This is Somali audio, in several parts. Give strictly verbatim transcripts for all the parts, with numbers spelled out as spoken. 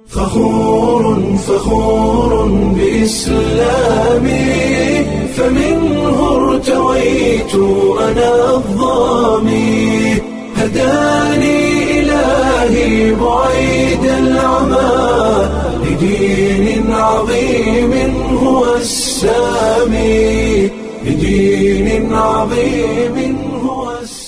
فخور فخور بإسلامي، فمنه ارتويت أنا الظامي، هداني إلهي بعيد العمى لدين عظيم هو السامي، لدين عظيم هو السامي.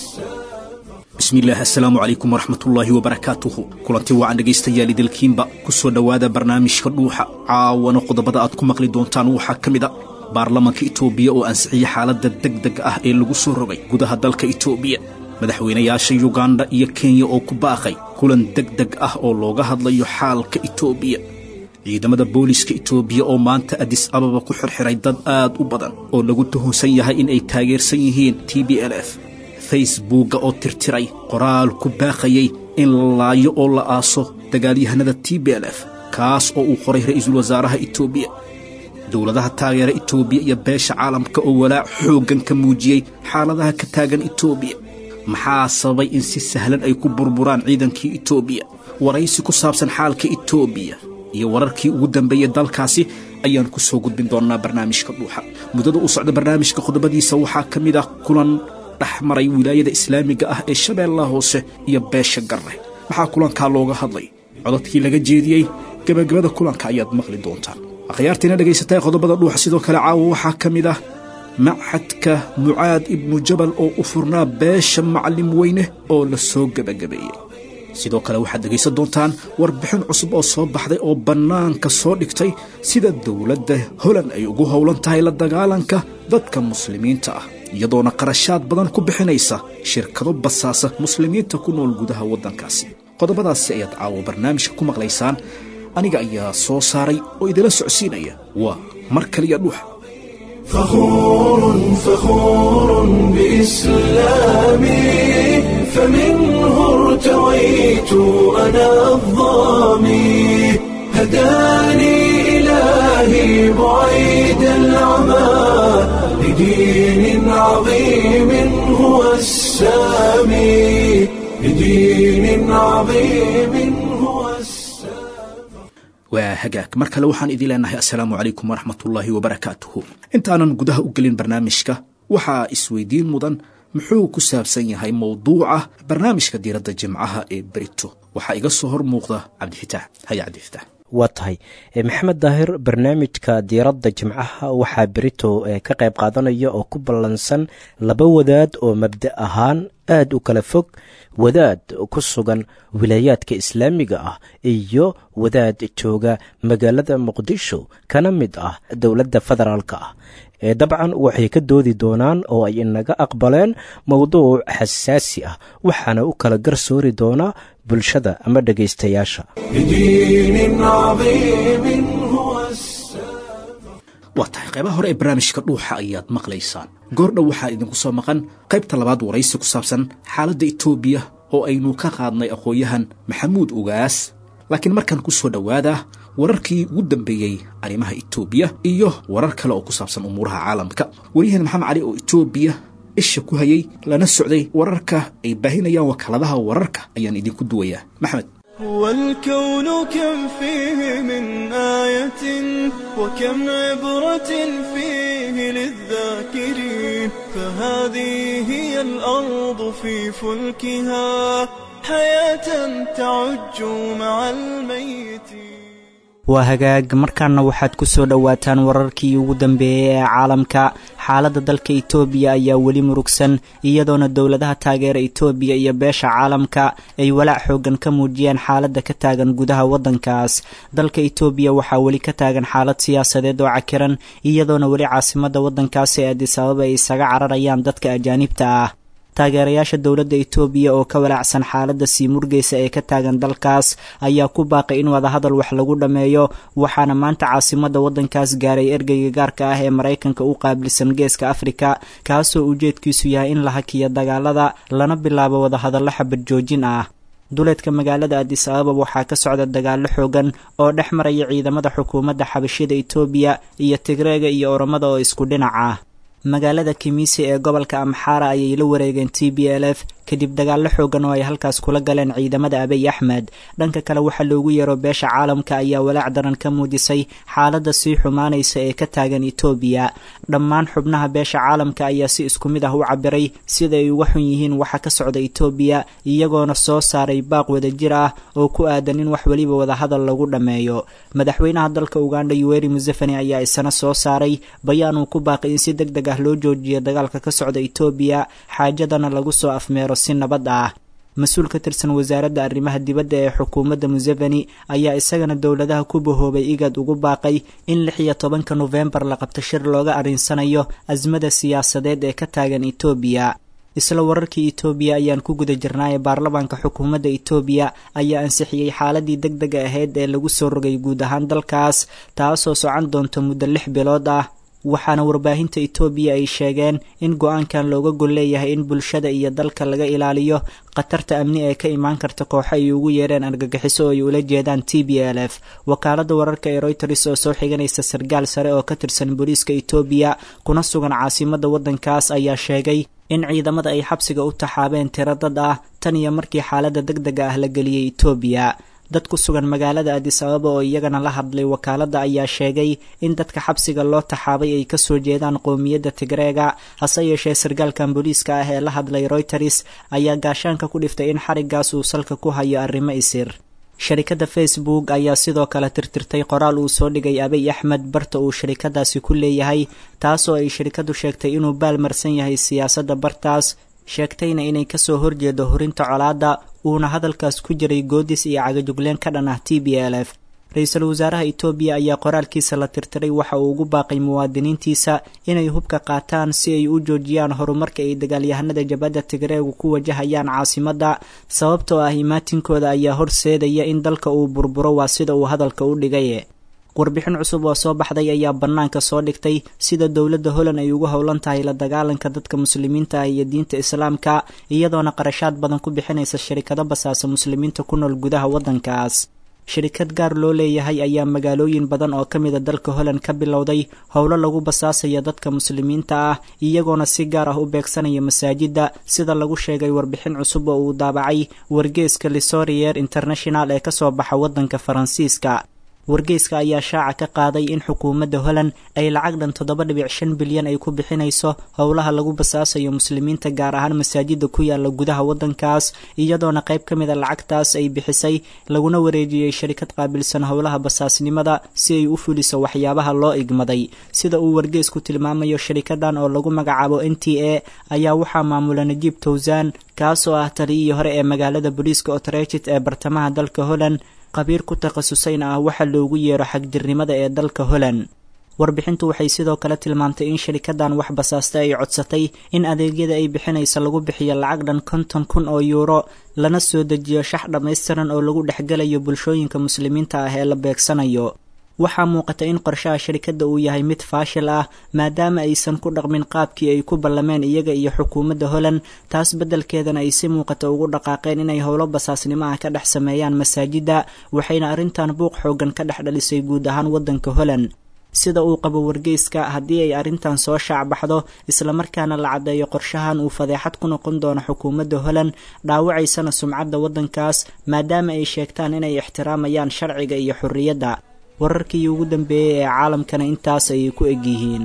Bismillaah, assalaamu calaykum waraxmatullaahi wabarakaatuhu. Kulanti wacan dhegaystayaal idilkiinba, ku soo dhowaada barnaamijka Dhuuxa. Caawana qodobada aad ku maqli doontaan waxaa ka mid a baarlamanka Itoobiya oo ansixiyey xaaladda deg deg ah ee lagu soo rogay gudaha dalka Itoobiya, madaxweynayaasha Yuganda iyo Kenya oo ku baaqay kulan deg deg ah oo looga hadlayo xaalka Itoobiya, ciidamada booliska Itoobiya oo maanta Adis Ababa ku xirxiray dad aad u badan oo lagu tuhunsan yahay in ay taageersan yihiin T B L F, Facebookga oo tirtiray qoraal ku baaqayay in la laayo oo la aaso dagaalyahanada T B L F, kaas oo uu qoray ra'iisul wasaaraha Itoobiya, dowladaha taageera Itoobiya iyo beesha caalamka oo walaac xooggan ka muujiyey xaaladaha ka taagan Itoobiya. Maxaa sababay in si sahlan ay ku burburaan ciidankii Itoobiya? Waraysi ku saabsan xaalka Itoobiya iyo wararkii ugu dambeeyey dalkaasi ayaan ku soo gudbin doonnaa barnaamijka Dhuuxa. Muddada u socda barnaamijka qodobadiisa waxaa ka mid ah kulan dhex maray Wilaayada Islaamiga ah ee Shabeellaha Hoose iyo beesha Garre. Maxaa kulankaa looga hadlay? Codadkii laga jeediyey gebagabada kulanka ayaad maqli doontaan. Akhyaartiina dhagaysatay, qodobada Dhuuxa sidoo kale caawa waxaa ka mid ah machadka Mucaad Ibnu Jabal oo u furnaa beesha Macallim Weyne oo la soo gebagabeeyey. Sidoo kale waxaad dhegaysan doontaan warbixin cusub oo soo baxday oo bannaanka soo dhigtay sida dowladda Holand ay ugu howlan tahay la dagaalanka dadka muslimiinta ah, iyadoona qarashaad badan ku bixinaysa shirkado basaasa muslimiinta ku nool gudaha waddankaasi. Qodobadaasi ayaad caawo barnaamijka ku maqlaysaan. Aniga ayaa soo saaray oo idila socodsiinaya. Waa mar kaliya Dhuuxa. فخور فخور بإسلامي، فمنه ارتويت أنا الظامي، هداني إلهي بعيد العمى لدين عظيم هو السامي، لدين عظيم هو السامي. Waa hagaag, mar kale waxaan idin leenahay assalaamu calaykum waraxmatullaahi wabarakaatuhu. Intaanan gudaha u gelin barnaamijka, waxaa isweydiin mudan muxuu ku saabsan yahay mowduuca barnaamijka Diiradda Jimcaha ee berito? Waxaa iga soo hor muuqda Cabdifitaax. Haya Cabdifitaax. Waa tahay Maxamed Daahir. Barnaamijka Diiradda Jimcaha waxaa berito ka qayb qaadanaya oo ku ballansan laba wadaad oo mabda ahaan aad u kala fog, wadaad ku sugan wilaayaadka islaamiga ah iyo wadaad jooga magaalada Muqdisho kana mid ah dowladda federaalka ah. Dabcan waxay ka doodi doonaan oo ay inaga aqbaleen mowduuc xasaasi ah, waxaana u kala garsoori doonaa bulshada ama dhegaystayaasha. لدين عظيم هو السامي. Waa tahay, qaybaha hore ee barnaamijka Dhuuxa ayaad maqlaysaan. Goordhow waxaa idinku soo maqan qaybta labaad, waraysi ku saabsan xaaladda Itoobiya oo aynu ka qaadnay aqoon-yahan Maxamuud Ugaas. Laakiin markaan ku soo dhowaada wararkii ugu dambeeyey arrimaha Itoobiya iyo warar kale oo ku saabsan umuuraha caalamka. Waryahan Maxamed Cali oo Itoobiya isha ku hayay lana socday wararka ay baahinayaan wakaaladaha wararka ayaan idinku duwayaa. Maxamed. والكون كم فيه من آية وكم عبرة فيه للذاكرين، فهذه هي الأرض في فلكها حياة تعج مع الميت. Waa hagaag, markaana waxaad ku soo dhowaataan wararkii ugu dambeeyey ee caalamka. Xaaladda dalka Itoobiya ayaa weli murugsan, iyadoona dowladaha taageera Itoobiya iyo beesha caalamka ay walaac xoogan ka muujiyeen xaaladda ka taagan gudaha waddankaas. Dalka Itoobiya waxaa weli ka taagan xaalad siyaasadeed oo cakiran, iyadoona weli caasimadda waddankaasi ee Addis Ababa ay isaga cararayaan dadka ajaanibta ah. Taageerayaasha dowladda Itoobiya oo ka walaacsan xaaladda sii murgaysa ee ka taagan dalkaas ayaa ku baaqay in wadahadal wax lagu dhammeeyo, waxaana maanta caasimadda waddankaas gaaray ergeyga gaarka ah ee Maraykanka u qaabilsan Geeska Afrika, kaasoo ujeedkiisu yahay in la hakiyo dagaalada lana bilaabo wadahadallo xabad joojin ah. Duleedka magaalada Addis Ababa waxaa ka socda dagaallo xoogan oo dhex maraya ciidamada xukuumadda xabashida Itoobiya iyo Tigreega iyo Oromada oo isku dhinac ah. Magaalada Kimiisi ee gobolka Amxaara ayay la wareegeen T B L F Kadib dagaallo xoogan oo ay halkaas kula galeen ciidamada Abiy Axmed. Dhanka kale, waxaa loogu yeero beesha caalamka ayaa walaac daran ka muujisay xaaladda sii xumaanaysa ee ka taagan Itoobiya. Dhammaan xubnaha beesha caalamka ayaa si isku mid ah u cabiray sida ay uga xun yihiin waxa ka socda Itoobiya, iyagoona soo saaray baaq wadajir ah oo ku aadan in wax weliba wadahadal lagu dhammeeyo. Madaxweynaha dalka Uganda Yoweri Museveni ayaa isana soo saaray bayaan uu ku baaqay in si deg deg ah loo joojiyo dagaalka ka socda Itoobiya, xaajadana lagu soo afmeero si nabad ah. Mas-uul ka tirsan wasaaradda arrimaha dibadda ee xukuumadda Museveni ayaa isagana dowladaha ku bahoobay IGAD ugu baaqay in lix iyo tobanka Nofembar la qabto shir looga arrinsanayo azmada siyaasadeed ee ka taagan Itoobiya. Isla wararkii Itoobiya ayaan ku guda jirnaaye, baarlamaanka xukuumadda Itoobiya ayaa ansixiyey xaaladii deg dega ahayd ee lagu soo rogay guud ahaan dalkaas, taasoo socon doonta muddo lix bilood ah. Waxaana warbaahinta Itoobiya ay sheegeen in go-aankan looga gol leeyahay in bulshada iyo dalka laga ilaaliyo khatarta amni ee ka imaan karta kooxo ay ugu yeereen argagixiso oo ay ula jeedaan T B L F. Wakaaladda wararka ee Reuters oo soo xiganaysa sargaal sare oo ka tirsan booliiska Itoobiya kuna sugan caasimadda waddankaas ayaa sheegay in ciidamada ay xabsiga u taxaabeen tiro dad ah tan iyo markii xaaladda deg dega ah la geliyey Itoobiya. Dad ku sugan magaalada Addis Ababa oo iyagana la hadlay wakaaladda ayaa sheegay in dadka xabsiga loo taxaabay ay kasoo jeedaan qowmiyadda Tigreega. Hase yeeshee, sargaalkan booliiska ah ee la hadlay Reuters ayaa gaashaanka ku dhiftay in xariggaas uu salka ku hayo arrimo isir. Sharikadda Facebook ayaa sidoo kale tirtirtay qoraal uu soo dhigay Abiy Axmed barta uu sharikadaasi ku leeyahay, taasoo ay shirikadu sheegtay inuu baalmarsan yahay siyaasadda bartaas, sheegtayna inay kasoo horjeedo horinta colaadda, uuna hadalkaas ku jiray goodis iyo cagajugleen ka dhan ah T B L F. Ra-iisul wasaaraha Itoobiya ayaa qoraalkiisa la tirtiray waxa uu ugu baaqay muwaadiniintiisa inay hubka qaataan si ay u joojiyaan horumarka ay dagaalyahanada jabhadda Tigreegu ku wajahayaan caasimadda, sababtoo ah imaatinkooda ayaa horseedaya in dalka uu burburo, waa sida uu hadalka u dhigay. Warbixin cusub oo soo baxday ayaa bannaanka soo dhigtay sida dowladda Holland ay ugu howlan tahay la dagaalanka dadka Muslimiinta ah iyo diinta Islaamka, iyadoona qarashaad badan ku bixinaysa sharikado basaasa Muslimiinta ku nool gudaha waddankaas. Shirikad gaar loo leeyahay ayaa magaalooyin badan oo ka mida dalka Holland ka bilowday howlo lagu basaasaya dadka Muslimiinta ah, iyagoona si gaar ah u beegsanaya masaajidda, sida lagu sheegay warbixin cusub oo uu daabacay wargeeska L'Courrier International ee kasoo baxa waddanka Faransiiska. Wargeyska ayaa shaaca ka qaaday in xukuumadda Holland ay lacag dhan toddoba dhibic shan bilyan ay ku bixinayso howlaha lagu basaasayo Muslimiinta, gaar ahaan masaajida ku yaala gudaha waddankaas, iyadoona qayb ka mid a lacagtaas ay bixisay laguna wareejiyey sharikad qaabilsan howlaha basaasnimada si ay u fuliso waxyaabaha loo igmaday, sida uu wargeysku tilmaamayo. Sharikadan oo lagu magacaabo N T A ayaa waxaa maamula Najiib Towsaan, kaasoo ah taliyihii hore ee magaalada booliiska Utrecht ee bartamaha dalka Holland, qabiir ku takhasusayna ah waxa loogu yeero xagjirnimada ee dalka Holland. Warbixintu waxay sidoo kale tilmaamtay in sharikadan wax basaasta ay codsatay in adeegyada ay bixinaysa lagu bixiyo lacag dhan konton kun oo yuuro, lana soo dejiyo shax dhammaystiran oo lagu dhexgelayo bulshooyinka Muslimiinta ah ee la beegsanayo. Waxaa muuqata in qorshaha sharikadda uu yahay mid faashil ah, maadaama aysan ku dhaqmin qaabkii ay ku ballameen iyaga iyo xukuumadda Holland, taas beddelkeedana ay si muuqata ugu dhaqaaqeen inay howlo basaasnimo ah ka dhex sameeyaan masaajidda. Waxayna arrintan buuq xooggan ka dhex dhalisay guud ahaan waddanka Holland. Sida uu qabo wargeyska, haddii ay arrintan soo shaacbaxdo islamarkaana la caddeeyo qorshahan, uu fadeexad ku noqon doono xukuumadda Holland, dhaawacaysana sumcadda waddankaas, maadaama ay sheegtaan inay ixtiraamayaan sharciga iyo xorriyadda. Wararkii ugu dambeeyey ee caalamkana intaas ayay ku eg yihiin.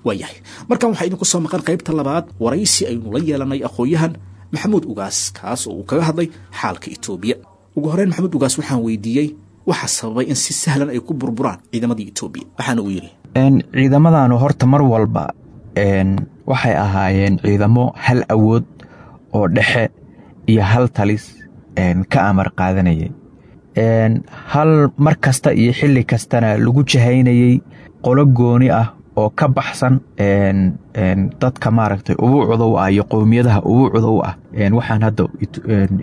Waayahay, markan waxaa idinku soo maqan qaybta labaad waraysi aynu la yeelanay aqoon-yahan Maxamuud Ugaas, kaas oo uu kaga hadlay xaalka Itoobiya. Ugu horreyn Maxamuud Ugaas waxaan weydiiyey waxa sababay in si sahlan ay ku burburaan ciidamadii Itoobiya, waxaana uu yidhi: Ciidamadanu horta mar walba waxay ahaayeen ciidamo hal awood oo dhexe iyo hal talis ka amar qaadanayay, hal mar kasta iyo xilli kastana lagu jahaynayey qolo gooni ah oo ka baxsan dadka maaragtay ubuucda u ah iyo qowmiyadaha ubuucda u ah. Waxaan hadda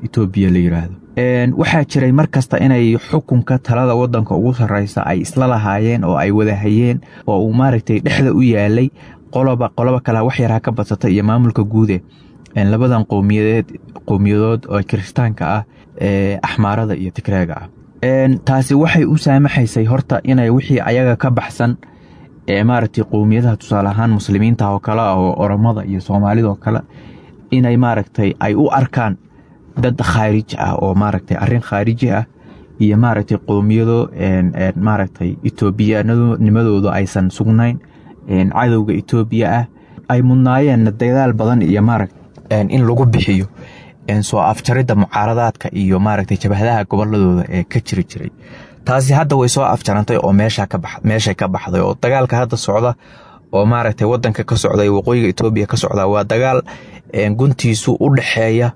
Etoobiya la yiraahdo, waxaa jiray mar kasta inay xukunka talada wadanka ugu sarreysa ay isla lahaayeen oo ay wada hayeen oo uu maaragtay dhexda u yaalay qoloba qoloba kale wax yar ha ka badsata iyo maamulka guude labadan qowmiyadeed qowmiyadood oo Kiristaanka ah ee Axmaarada iyo Tigreega ah. Taasi waxay u saamaxaysay horta inay wixii ayaga ka baxsan ee maaragtay qowmiyadaha tusaale ahaan muslimiinta oo kale ah oo Oromada iyo Soomaalida oo kale inay maaragtay ay u arkaan dad khaarij ah oo maaragtay arrin khaariji ah iyo maaragtay qowmiyado maaragtay Etoobiyanimadoodu aysan sugnayn, cadowga Etoobiya ah ay mudnaayeen dadaal badan iyo maaragtay in lagu bixiyo soo afjaridda mucaaradaadka iyo maaragtay jabhadaha goboladooda ee ka jiri jiray. Taasi hadda way soo afjarantay oo meesha ka bax meeshay ka baxday oo dagaalka hadda socda oo maaragtay wadanka ka socda waqooyiga Etoobiya ka socda waa dagaal guntiisu u dhaxeeya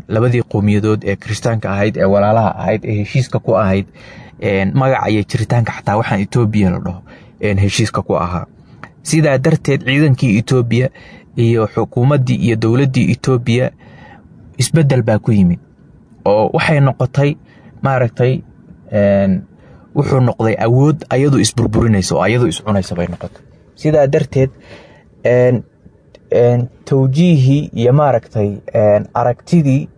labadii qowmiyadood ee Kiristaanka ahayd ee walaalaha ahayd ee heshiiska ku ahayd magaca iyo jiritaanka xataa waxaan Etoobiya la dhaho heshiiska ku ahaa. Sidaa darteed ciidankii Etoobiya iyo xukuumaddii iyo dowladdii Etoobiya isbeddel baa ku yimid oo waxay noqotay maaragtay wuxuu noqday awood ayadu isburburinaysa oo ayadu iscunaysa bay noqotay. Sidaa darteed tawjiihii iyo maaragtay aragtidii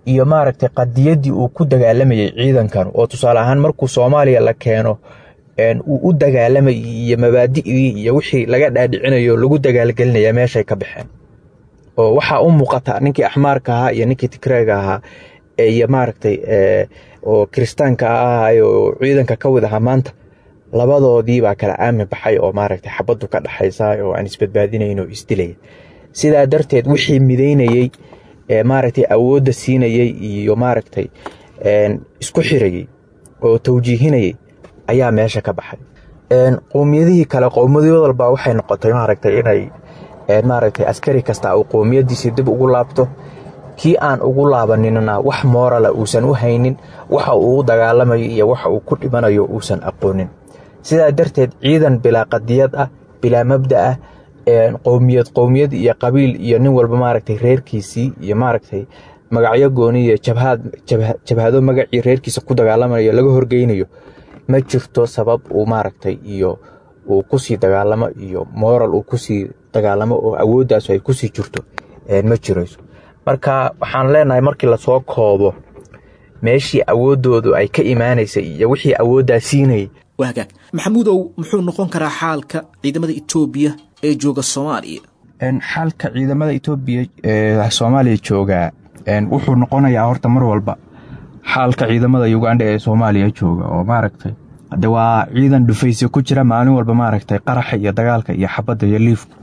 iyo maaragtay qadiyaddii uu ku dagaalamayay ciidankan oo tusaale ahaan markuu Soomaaliya la keeno uu u dagaalamayay iyo mabaadi'dii iyo wixii laga dhaadhicinayo lagu dagaalgelinaya meeshay ka baxeen oo waxaa u muuqata ninkii Axmaarka ahaa iyo ninkii Tigreega ahaa iyo maaragtay oo Kiristaanka ahaa oo ciidanka ka wada ahaa maanta labadoodii baa kala aami baxay oo maaragtay xabaddu ka dhaxaysa oo aan isbadbaadinayn oo isdilaya. Sidaa darteed wixii midaynayay ee maaragtay awoodda siinayay iyo maaragtay isku xirayay oo tawjiihinayay ayaa meesha ka baxay. Qowmiyadihii kale qowmiyad walba waxay noqotay maaragtay inay maaragtay askari kasta uu qowmiyadiisii dib ugu laabto, kii aan ugu laabaninna wax moorala uusan u haynin, waxa uu u dagaalamayo iyo waxa uu ku dhimanayo uusan aqoonin. Sidaa darteed ciidan bilaa qadiyad ah, bilaa mabda ah, qowmiyad qowmiyad iyo qabiil iyo nin walba maaragtay reerkiisii iyo maaragtay magacyo gooni iyo jabhad jabhado magacii reerkiisa ku dagaalamayo laga horgeynayo ma jirto sabab uu maaragtay iyo uu ku sii dagaalamo iyo moral uu ku sii dagaalamo oo awooddaas ay ku sii jirto ma jirayso. Marka waxaan leenahay markii la soo koobo meeshii awooddoodu ay ka imaanaysay iyo wixii awooddaa siinayay. Waa hagaag. Maxamuudow, muxuu noqon karaa xaalka ciidamada Etoobiya ee jooga Soomaaliya? Xaalka ciidamada Etoobiya ee Soomaaliya jooga wuxuu noqonayaa horta mar walba xaalka ciidamada Uganda ee Soomaaliya jooga oo maaragtay hadda waa ciidan dhufaysi ku jira maalin walba maaragtay qaraxa iyo dagaalka iyo xabadda iyo liifku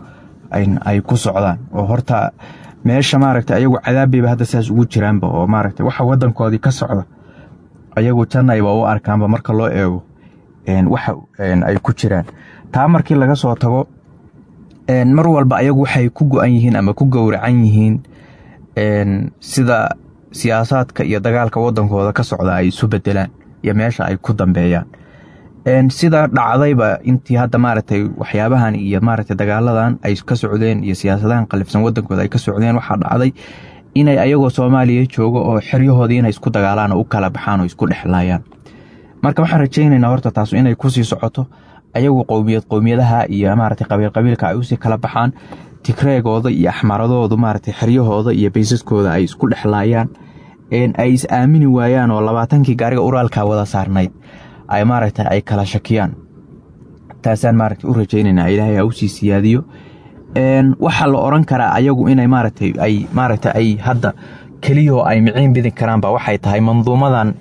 ay ku socdaan oo horta meesha maaragtay ayagu cadaabbayba hadda saas ugu jiraanba oo maaragtay waxa wadankoodii ka socda ayagu jannayba u arkaanba marka loo eego waxa ay ku jiraan. Taa markii laga soo tago mar walba ayagu waxay ku go'an yihiin ama ku gowracan yihiin sida siyaasaadka iyo dagaalka wadankooda ka socda ay isu bedelaan iyo meesha ay ku dambeeyaan. Sida dhacdayba intii hadda maaragtay waxyaabahan iyo maaragtay dagaaladan ay ka socdeen iyo siyaasadahan qalifsan wadankooda ay ka socdeen, waxaa dhacday inay ayagoo Soomaaliya joogo oo xeryahoodii inay isku dagaalaan oo u kala baxaan oo isku dhexlaayaan. Marka waxaan rajaynaynaa horta taas inay ku sii socoto, ayagu qowmiyad qowmiyadaha iyo maaragtay qabiil qabiilka ay usii kala baxaan, Tigreegooda iyo Axmaradoodu maaragtay xeryahooda iyo baysaskooda ay isku dhexlaayaan, ay is aamini waayaan oo labaatankii gaariga uraalka wada saarnayd ay maaragtay ay kala shakiyaan. Taasaan maaragtay u rajaynaynaa Ilaahay ha usii siyaadiyo. Waxaa la oran karaa ayagu inay maaragtay ay maaragtay ay hadda keliyoo ay miciin bidin karaanba waxay tahay manduumadan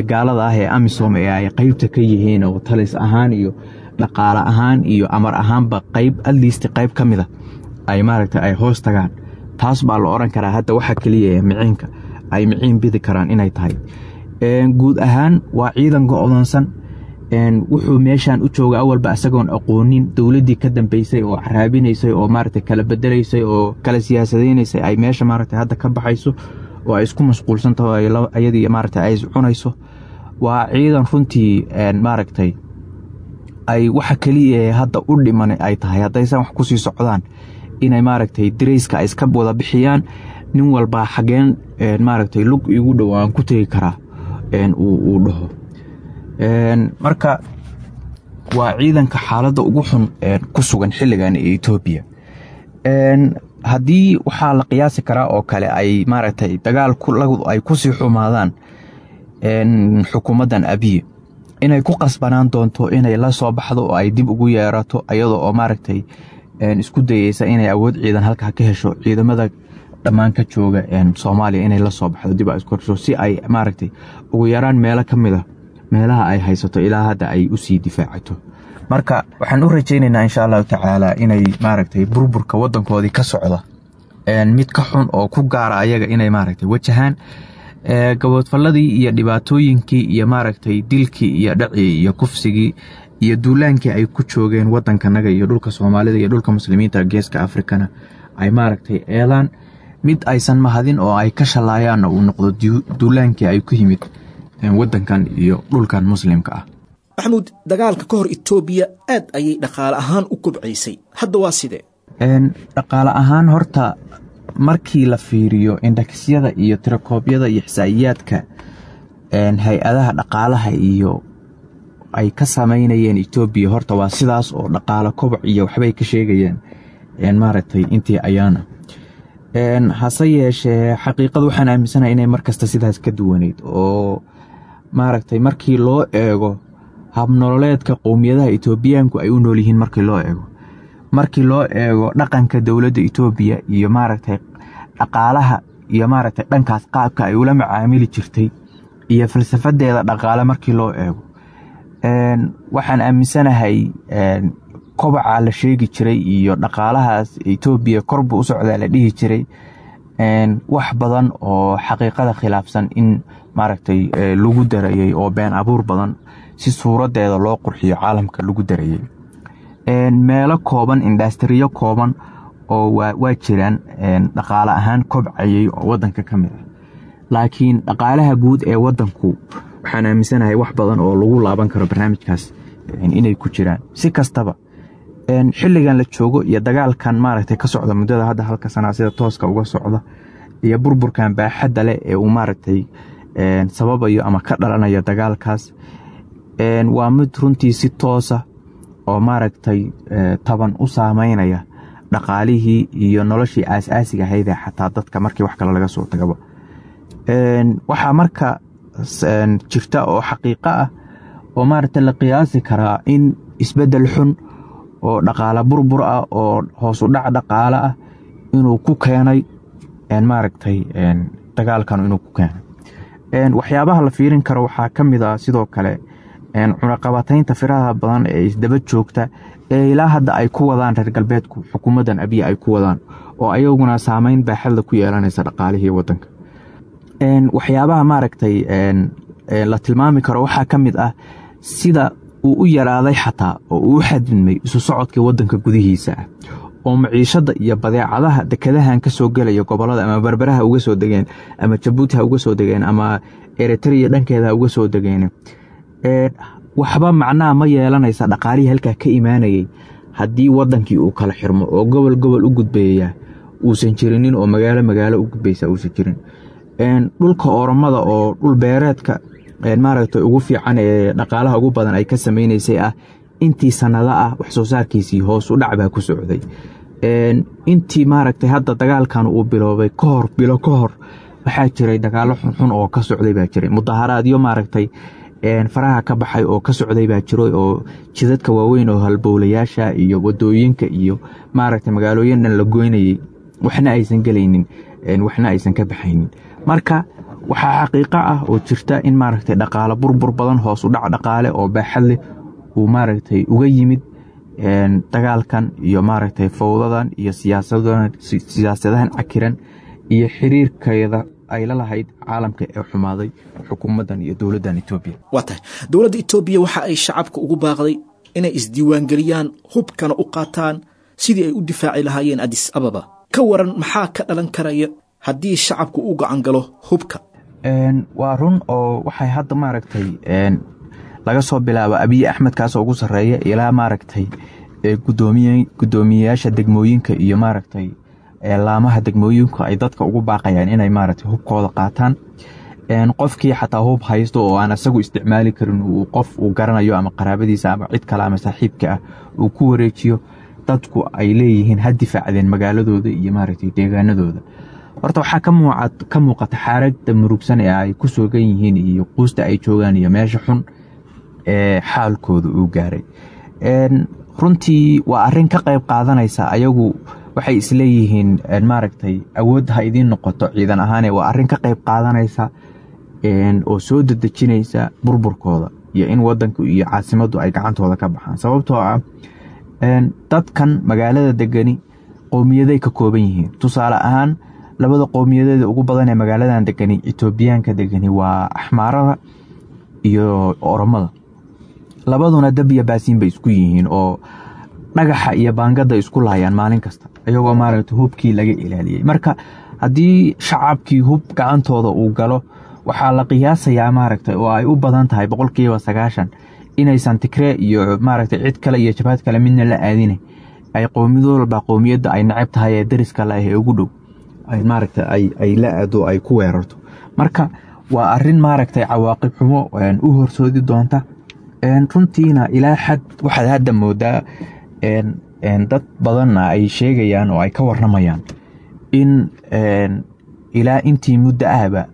gaalada ah ee AMISOM ee ay qaybta ka yihiin oo talis ahaan iyo dhaqaale ahaan iyo amar ahaanba qayb at least qayb ka mid ah ay maaragtay ay hoos tagaan. Taas baa la oran karaa hadda waxa keliya ee miciinka ay miciin bidi karaan inay tahay. Guud ahaan waa ciidan go'doonsan, wuxuu meeshan u jooga awalba isagoon aqoonin dowladdii ka dambeysay oo caraabinaysay oo maaragtay kala bedelaysay oo kala siyaasadeynaysay ay meesha maaragtay hadda ka baxayso oo ay isku mashquulsan tahay ayadii maaragtay ay is cunayso. Waa ciidan runtii maaragtay ay waxa keliya ee hadda u dhiman ay tahay haddaysan wax kusii socdaan inay maaragtay dareyska ay iska wada bixiyaan, nin walba xageen maaragtay lug igu dhow aan ku tegi karaa uu dhaho. Marka waa ciidanka xaaladda ugu xun ku sugan xilligan ee Etoobiya. Haddii waxaa la qiyaasi karaa oo kale ay maaragtay dagaal ay kusii xumaadaan xukuumaddan Abiy, Inay ku qasbanaan doonto inay la soo baxdo oo ay dib ugu yeerato, iyadoo oo maaragtay isku dayeysa inay awood ciidan halkaa ka hesho, ciidamada dhammaan ka jooga Soomaaliya inay la soo baxdo, dib ay isku hesho, si ay maaragtay ugu yaraan meelo ka mid a meelaha ay haysato ilaa hadda ay usii difaacato. Marka waxaan u rajaynaynaa insha Allahu tacaala inay maaragtay burburka wadankoodii ka socda mid ka xun oo ku gaara ayaga inay maaragtay wajahaan, gaboodfalladii iyo dhibaatooyinkii iyo maaragtay dilkii iyo dhacii iyo kufsigii iyo duulaankii ay ku joogeen wadankanaga iyo dhulka Soomaalida iyo dhulka Muslimiinta Geeska Afrikana ay maaragtay eedaan mid aysan mahadin oo ay ka shalaayaanna uu noqdo duulaankii ay ku yimid wadankan iyo dhulkan Muslimka ah. Maxamuud, dagaalka ka hor Itoobiya aad ayay dhaqaale ahaan u kobcaysay, hadda waa sidee? Dhaqaale ahaan horta markii la fiiriyo indhaksyada iyo tirakoobyada iyo xisaa'iyaadka hay-adaha dhaqaalaha iyo ay ka samaynayeen Itoobiya, horta waa sidaas oo dhaqaale koboc iyo waxbay ka sheegayeen maaragtay intii ayaana. Hase yeeshee xaqiiqada waxaan aaminsanahay inay markasta sidaas ka duwaneyd, oo maaragtay markii loo eego habnololeedka qowmiyadaha Itoobiyaanku ay u nool yihiin, markii loo eego markii loo eego dhaqanka dowladda Itoobiya iyo maaragtay dhaqaalaha iyo maaragtay dhankaas qaabka ay ula macaamili jirtay iyo falsafadeeda dhaqaale markii loo eego, waxaan aaminsanahay kobaca la sheegi jiray iyo dhaqaalahaas Itoobiya korbu u socdaa la dhihi jiray wax badan oo xaqiiqada khilaafsan in maaragtay lagu darayay, oo been abuur badan si suuradeeda loo qurxiyo caalamka lagu darayay. Meelo kooban, industriyo kooban oo waa jiraan dhaqaale ahaan kobcayay oo wadanka ka mid ah, laakiin dhaqaalaha guud ee wadanku waxaan aaminsanahay wax badan oo lagu laaban karo barnaamijkaas inay ku jiraan. Si kastaba xilligan la joogo iyo dagaalkan maaragtay ka socda muddada hadda halka sanaa sida tooska uga socda iyo burburkan baaxadda leh ee uu maaragtay sababayo ama ka dhalanayo dagaalkaas, waa mid runtii si toosa oo maaragtay taban u saameynaya dhaqaalihii iyo noloshii aasaasiga ahayd ee xataa dadka markii wax kale laga soo tagaba. Waxaa marka jirta oo xaqiiqo ah oo maaragtay la qiyaasi karaa in isbeddel xun oo dhaqaale burbur ah oo hoos u dhac dhaqaale ah inuu ku keenay maaragtay dagaalkan inuu ku keenay. Waxyaabaha la fiirin karo waxaa ka mid ah sidoo kale cunaqabataynta firaha badan ee isdaba joogta ee ilaa hadda ay ku wadaan reer galbeedku, xukuumaddan Abiy ay ku wadaan, oo ayaguna saameyn baaxadla ku yeelanaysa dhaqaalihii wadanka. Waxyaabaha maaragtay la tilmaami karo waxaa ka mid ah sida uu u yaraaday xataa oo uu u xadidmay isu socodka wadanka gudihiisa ah, oo maciishada iyo badeecadaha dekadahan ka soo gelaya gobolada ama Berberaha uga soo degeen ama Jabuuti ha uga soo degeen ama Eritrea dhankeeda ha uga soo degeen, waxba macnaha ma yeelanaysa dhaqaalihii halkaa ka imaanayay haddii wadankii uu kala xirmo oo gobol gobol u gudbeeya uusan jirinin oo magaalo magaalo u gudbaysa uusan jirin. Dhulka Oromada oo dhul beereedka maaragtay ugu fiican ee dhaqaalaha ugu badan ay ka sameynaysay ah, intii sanado ah wax soo saarkiisii hoos u dhac baa ku socday. Intii maaragtay hadda dagaalkan uu biloobay ka hor, bilo ka hor, waxaa jiray dagaalo xunxun oo ka socday baa jiray, mudaharaadyo maaragtay faraha ka baxay oo ka socday baa jiray, oo jidadka waaweyn oo halbowlayaasha iyo wadooyinka iyo maaragtay magaalooyin dhan la goynayay, waxna aysan gelaynin waxna aysan ka baxaynin. Marka waxaa xaqiiqo ah oo jirta in maaragtay dhaqaale burbur badan, hoos u dhac dhaqaale oo baaxad leh uu maaragtay uga yimid dagaalkan iyo maaragtay fowdadan iyo siyaasadahan siyaasadahan cakiran iyo xiriirkeeda ay la lahayd caalamka ee xumaaday xukuumaddan iyo dowladdan Itoobiya. Waa tahay, dowladda Itoobiya waxa ay shacabka ugu baaqday inay isdiiwaangeliyaan, hubkana u qaataan sidii ay u difaaci lahaayeen Addis Ababa. Ka waran maxaa ka dhalan karaya haddii shacabku u gacan galo hubka? Waa run oo waxay hadda maaragtay laga soo bilaabo Abiy Axmed kaasoo ugu sarreeya ilaa maaragtay gudoomiye guddoomiyeyaasha degmooyinka iyo maaragtay laamaha degmooyinku ay dadka ugu baaqayaan inay maaragtay hubkooda qaataan. Qofkii xataa hub haysto oo aan isagu isticmaali karin uu qof uu garanayo ama qaraabadiisa ama cid kale ama saaxiibka ah uu ku wareejiyo, dadku ay leeyihiin ha difaacdeen magaaladooda iyo maaragtay deegaanadooda. Horta waxaa ka muuqat ka muuqata xaaladda murugsan ee ay ku sugan yihiin iyo quusta ay joogaan iyo meesha xun ee xaalkooda uu gaaray. Runtii waa arrin ka qayb qaadanaysa, ayagu waxay isleeyihiin maaragtay awood ha idiin noqoto ciidan ahaane, waa arrin ka qayb qaadanaysa oo soo dedejinaysa burburkooda iyo in wadanku iyo caasimaddu ay gacantooda ka baxaan, sababtoo ah dadkan magaalada degani qowmiyaday ka kooban yihiin. Tusaale ahaan labada qowmiyadeeda ugu badan ee magaaladan degani, Etoobiyaanka degani, waa Axmaarada iyo Oromada. Labaduna dab iyo baasiin bay isku yihiin oo dhagaxa iyo baangada isku laayaan maalin kasta, iyagoo maaragtay hubkii laga ilaaliyey. Marka haddii shacabkii hub gacantooda uu galo, waxaa la qiyaasayaa maaragtay oo ay u badan tahay boqolkiiba sagaashan inaysan Tigree iyo maaragtay cid kale iyo jabhad kale midna la aadine, ay qowmiyad walba qowmiyadda ay neceb tahay ee dariska la ah ee ugu dhow ay maaragtay ay ay la aado, ay ku weerarto. Marka waa arrin maaragtay cawaaqib xumo u horsoodi doonta. Runtiina ilaa xad waxaad hadda moodaa dad badanna ay sheegayaan oo ay ka warramayaan in ilaa intii muddo ahba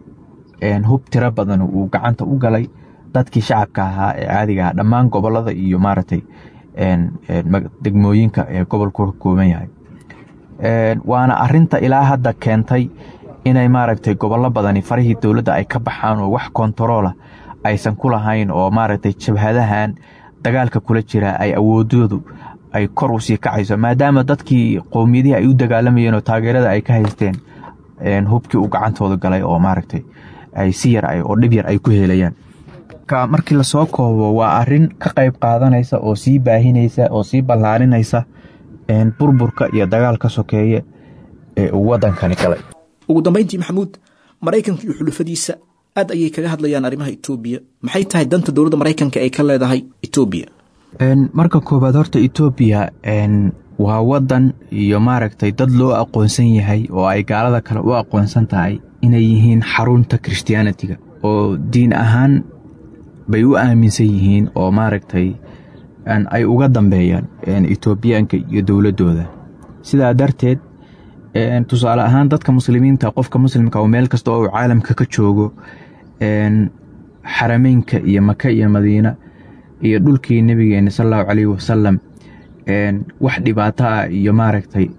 hub tiro badan uu gacanta u galay dadkii shacabka ahaa ee caadiga ah dhammaan gobolada iyo maaragtay degmooyinka ee gobolku ka kooban yahay. Waana arinta ilaa hadda keentay inay maaragtay gobollo badani farihii dowladda ay ka baxaan oo wax kontaroola aysan ku lahayn, oo maaragtay jabhadahan dagaalka kula jira ay awoodoodu ay kor usii kacayso, maadaama dadkii qowmiyadihii ay u dagaalamayeen oo taageerada ay ka haysteen hubkii uu gacantooda galay oo maaragtay ay si yar oo dhib yar ay ku helayaan. Markii lasoo koobo, waa arin ka qayb qaadanaysa oo sii baahinaysa oo sii ballaarinaysa burburka iyo dagaalka sokeeye ee uu wadankani galay. Ugu dambayntii, Maxamuud, Maraykanka iyo xulufadiisa aad ayay kaga hadlayaan arrimaha Etoobiya. Maxay tahay danta dowladda Maraykanka ay ka leedahay Etoobiya? Marka koobaad, horta Etoobiya waa wadan iyo maaragtay dad loo aqoonsan yahay oo ay gaalada kale u aqoonsan tahay inay yihiin xarunta Christianity-ga, oo diin ahaan bay u aaminsan yihiin oo maaragtay ay uga dambeeyaan Etoobiyaanka iyo dowladooda. Sidaa darteed, tusaale ahaan, dadka muslimiinta, qofka muslimka oo meel kasta oo uu caalamka ka joogo, Xarameynka iyo Maka iyo Madiina iyo dhulkii Nabigeena sal Allahu calayhi wasalam wax dhibaato ah iyo maaragtay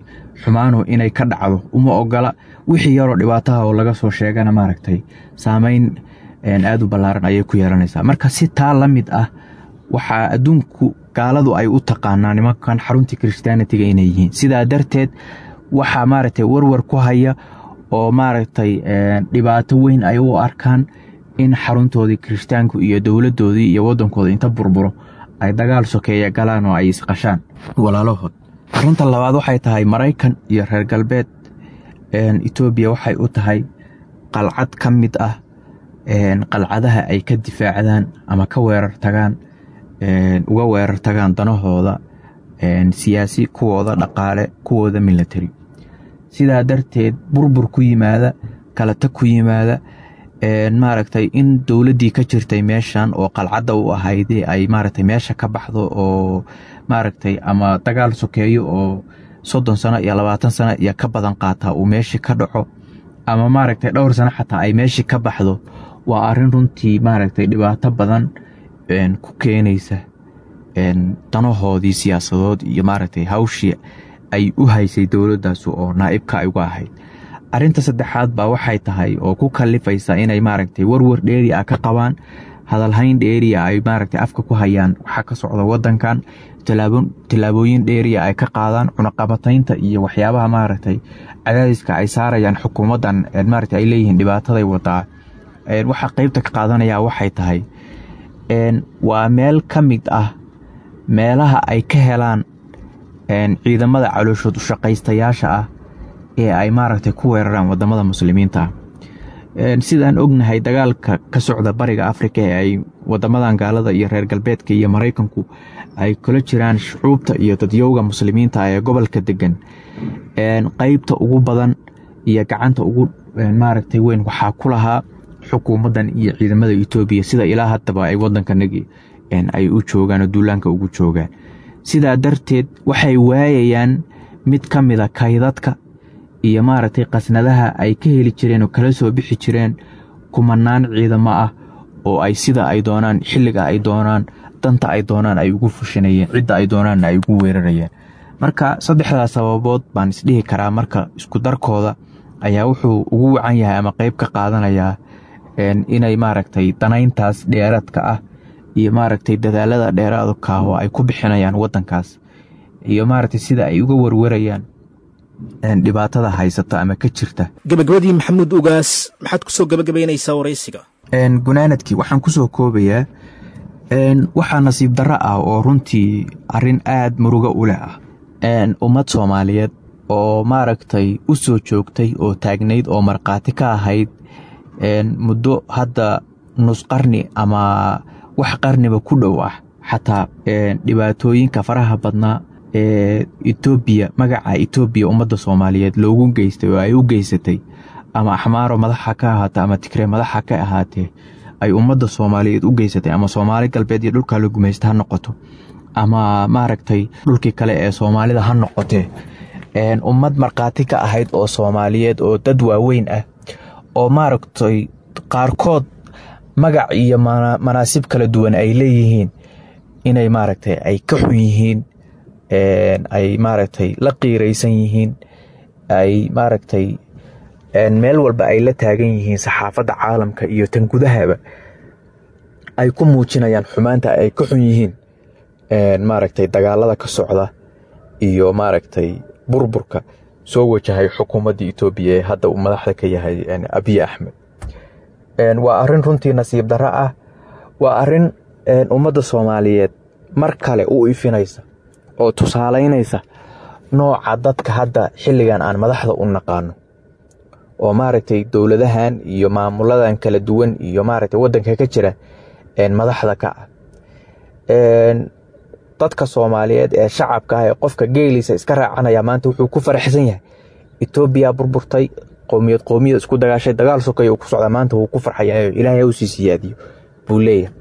xumaanu inay ka dhacdo uma ogola. Wixii yaroo dhibaataha oo laga soo sheegana maaragtay saameyn aada u ballaaran ayay ku yeelanaysaa. Marka si taa la mid ah waxaa adduunku gaaladu ay u taqaanaa nimankan xaruntii Christianity-ga inay yihiin. Sidaa darteed waxaa maaragtay warwar ku haya oo maaragtay dhibaato weyn ay u arkaan in xaruntoodii kirishtaanku iyo dowladoodii iyo wadankooda inta burburo ay dagaal sokeeya galaan oo ay isqashaan walaalahood. Arrinta labaad waxay tahay, Maraykan iyo reer galbeed Etoobiya waxay u tahay qalcad ka mid ah qalcadaha ay ka difaacdaan ama ka weerar tagaan, uga weerar tagaan danahooda siyaasi, kuwooda dhaqaale, kuwooda military. Sidaa darteed burbur ku yimaada, kala tag ku yimaada, maaragtay in dowladdii ka jirtay meeshan oo qalcadda u ahayd ay maaragtay meesha ka baxdo oo maaragtay ama dagaal sokeeyo oo soddon sano iyo labaatan sano iyo ka badan qaataa uu meeshii ka dhaco, ama maaragtay dhowr sano xataa ay meeshii ka baxdo, waa arrin runtii maaragtay dhibaato badan ku keenaysa danahoodii siyaasadood iyo maaragtay hawshii ay u haysay dowladdaas oo naa'ibka ay uga ahayd. Arrinta saddexaad baa waxay tahay oo ku kalifaysa inay maaragtay warwar dheeri ah ka qabaan, hadalhayn dheeriya ay maaragtay afka ku hayaan waxaa ka socda wadankan, tillaabooyin dheeriya ay ka qaadaan, cunaqabataynta iyo waxyaabaha maaragtay cadaadiska ay saarayaan xukuumaddan, maaragtay ay leeyihiin dhibaataday wadaa. Waxaa qeybta ka qaadanaya waxay tahay waa meel ka mid ah meelaha ay ka helaan ciidamada calooshood ushaqaystayaasha ah ee ay maaragtay ku weeraraan wadamada muslimiinta ah. Sidaan ognahay, dagaalka ka socda Bariga Afrika ee ay wadamadan gaalada iyo reer galbeedka iyo Maraykanku ay kula jiraan shucuubta iyo dadyowga muslimiinta ee gobolka degan, qeybta ugu badan iyo gacanta ugu maaragtay weyn waxaa ku lahaa xukuumaddan iyo ciidamada Etoobiya, sida ilaa haddaba ay wadankanagi ay u joogaan oo duulaanka ugu joogaan. Sidaa darteed waxay waayayaan mid ka mida kaydadka iyo maaragtay qasnadaha ay ka heli jireen oo kala soo bixi jireen kumanaan ciidamo ah. oo ay sida ay doonaan, xilliga ay doonaan, danta ay doonaan ay ugu fushanayeen, cidda ay doonaanna ay ugu weerarayeen. Marka saddexdaas sababood baan isdhihi karaa marka isku darkooda ayaa wuxuu ugu wacan yahay ama qeyb ka qaadanayaa inay maaragtay danayntaas dheeraadka ah iyo maaragtay dadaalada dheeraadka ah oo ay ku bixinayaan wadankaas iyo maaragtay sida ay uga warwarayaan dhibaatada haysata ama ka jirta. Gabagabadii, Maxamuud Ugaas, maxaad kusoo gabagabaynaysaa waraysiga? Gunaanadkii waxaan kusoo koobayaa, waxaa nasiib darro ah oo runtii arrin aada murugo u leh ah ummad Soomaaliyeed oo maaragtay u soo joogtay oo taagnayd oo markhaati ka ahayd muddo hadda nus qarni ama wax qarniba ku dhow ah, xataa dhibaatooyinka faraha badnaa ee Etoobiya, magaca Etoobiya ummadda Soomaaliyeed loogu geystay oo ay u geysatay, ama Axmaaro madaxa ka ahaatee ama Tigree madaxa ka ahaatee, ay ummadda Soomaaliyeed u geysatay, ama Soomaali Galbeed iyo dhulkaa la gumaysta ha noqoto ama maaragtay dhulkii kale ee Soomaalida ha noqotee, ummad markhaati ka ahayd oo Soomaaliyeed oo dad waaweyn ah oo maaragtay qaarkood magac iyo manaasib kala duwan ay leeyihiin inay maaragtay ay ka xun yihiin, ay maaragtay la qiiraysan yihiin, ay maaragtay meel walba ay la taagan yihiin saxaafadda caalamka iyo tan gudahaba ay ku muujinayaan xumaanta ay ka xun yihiin maaragtay dagaalada ka socda iyo maaragtay burburka soo wajahay xukuumadda Etoobiya ee hadda uu madaxda ka yahay Abiy Axmed. Waa arrin runtii nasiib darro ah, waa arrin ummadda Soomaaliyeed mar kale u ifinaysa oo tusaalaynaysa nooca dadka hadda xilligan aan madaxda u naqaano oo maaragtay dowladahan iyo maamuladan kala duwan iyo maaragtay waddanka ka jira madaxda ka ah. Dadka Soomaaliyeed ee shacabka ah ee qofka geeliisa iska raacanaya maanta wuxuu ku faraxsan yahay Etoobiya burburtay, qowmiyad qowmiyad isku dagaashay, dagaal sokay uu ku socdaa, maanta wuu ku farxayaa, Ilaahay u sii siyaadiyo buu leeyahay.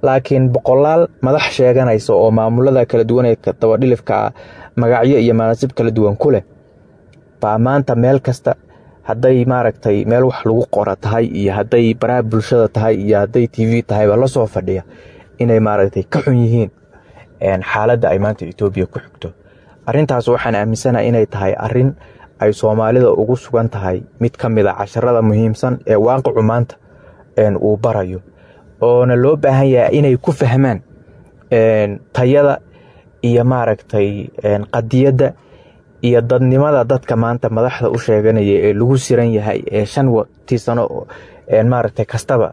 Laakiin boqolaal madax sheeganaysa oo maamulada kala duwan ee dabadhilifka magacyo iyo manaasib kala duwan ku leh baa maanta meel kasta, hadday maaragtay meel wax lagu qora tahay iyo hadday baraha bulshada tahay iyo hadday T V tahayba la soo fadhiya inay maaragtay ka xun yihiin xaaladda ay maanta Etoobiya ku xigto. Arrintaas waxaan aaminsanahay inay tahay arrin ay Soomaalida ugu sugan tahay mid ka mid ah casharada muhiimsan ee waaqicu maanta uu barayo, oona loo baahan yahay inay ku fahmaan tayada iyo maaragtay qadiyadda iyo dadnimada dadka maanta madaxda u sheeganaya ee lagu siran yahay ee shan tii sano maaragtay kastaba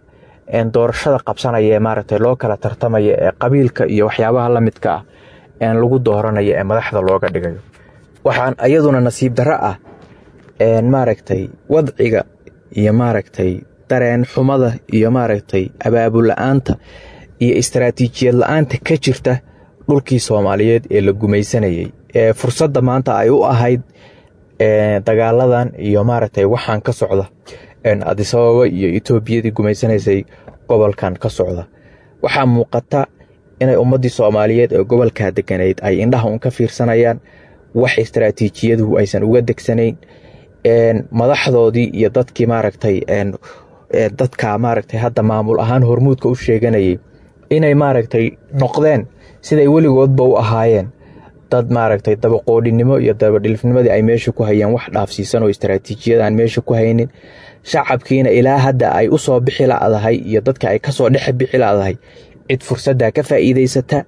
doorashada qabsanaya ee maaragtay loo kala tartamaya ee qabiilka iyo waxyaabaha la midka ah een lagu dooranayo ee madaxda looga dhigayo. Waxaan iyaduna nasiib darro ah maaragtay wadciga iyo maaragtay dareen xumada iyo maaragtay abaabul la'aanta iyo istaraatiijiyad la'aanta ka jirta dhulkii Soomaaliyeed ee la gumaysanayay ee fursadda maanta ay u ahayd dagaaladan iyo maaragtay waxaan ka socda Addis Ababa iyo Etoobiyadii gumaysanaysay gobolkan ka socda. Waxaa muuqata inay ummaddii Soomaaliyeed ee gobolka degganayd ay indhaha un ka fiirsanayaan, wax istaraatiijiyadu aysan uga degsanayn, madaxdoodii iyo dadkii maaragtay dadka maaragtay hadda maamul ahaan hormuudka u sheeganayay inay maaragtay noqdeen siday weligoodba u ahaayeen dad maaragtay dabaqoodhinimo iyo dabadhilifnimadii ay meesha ku hayeen wax dhaafsiisan oo istaraatiijiyad aan meesha ku haynin, shacabkiina ilaa hadda ay u soo bixi la'dahay iyo dadka ay kasoo dhex bixi la'dahay cid fursadda ka faa'iidaysata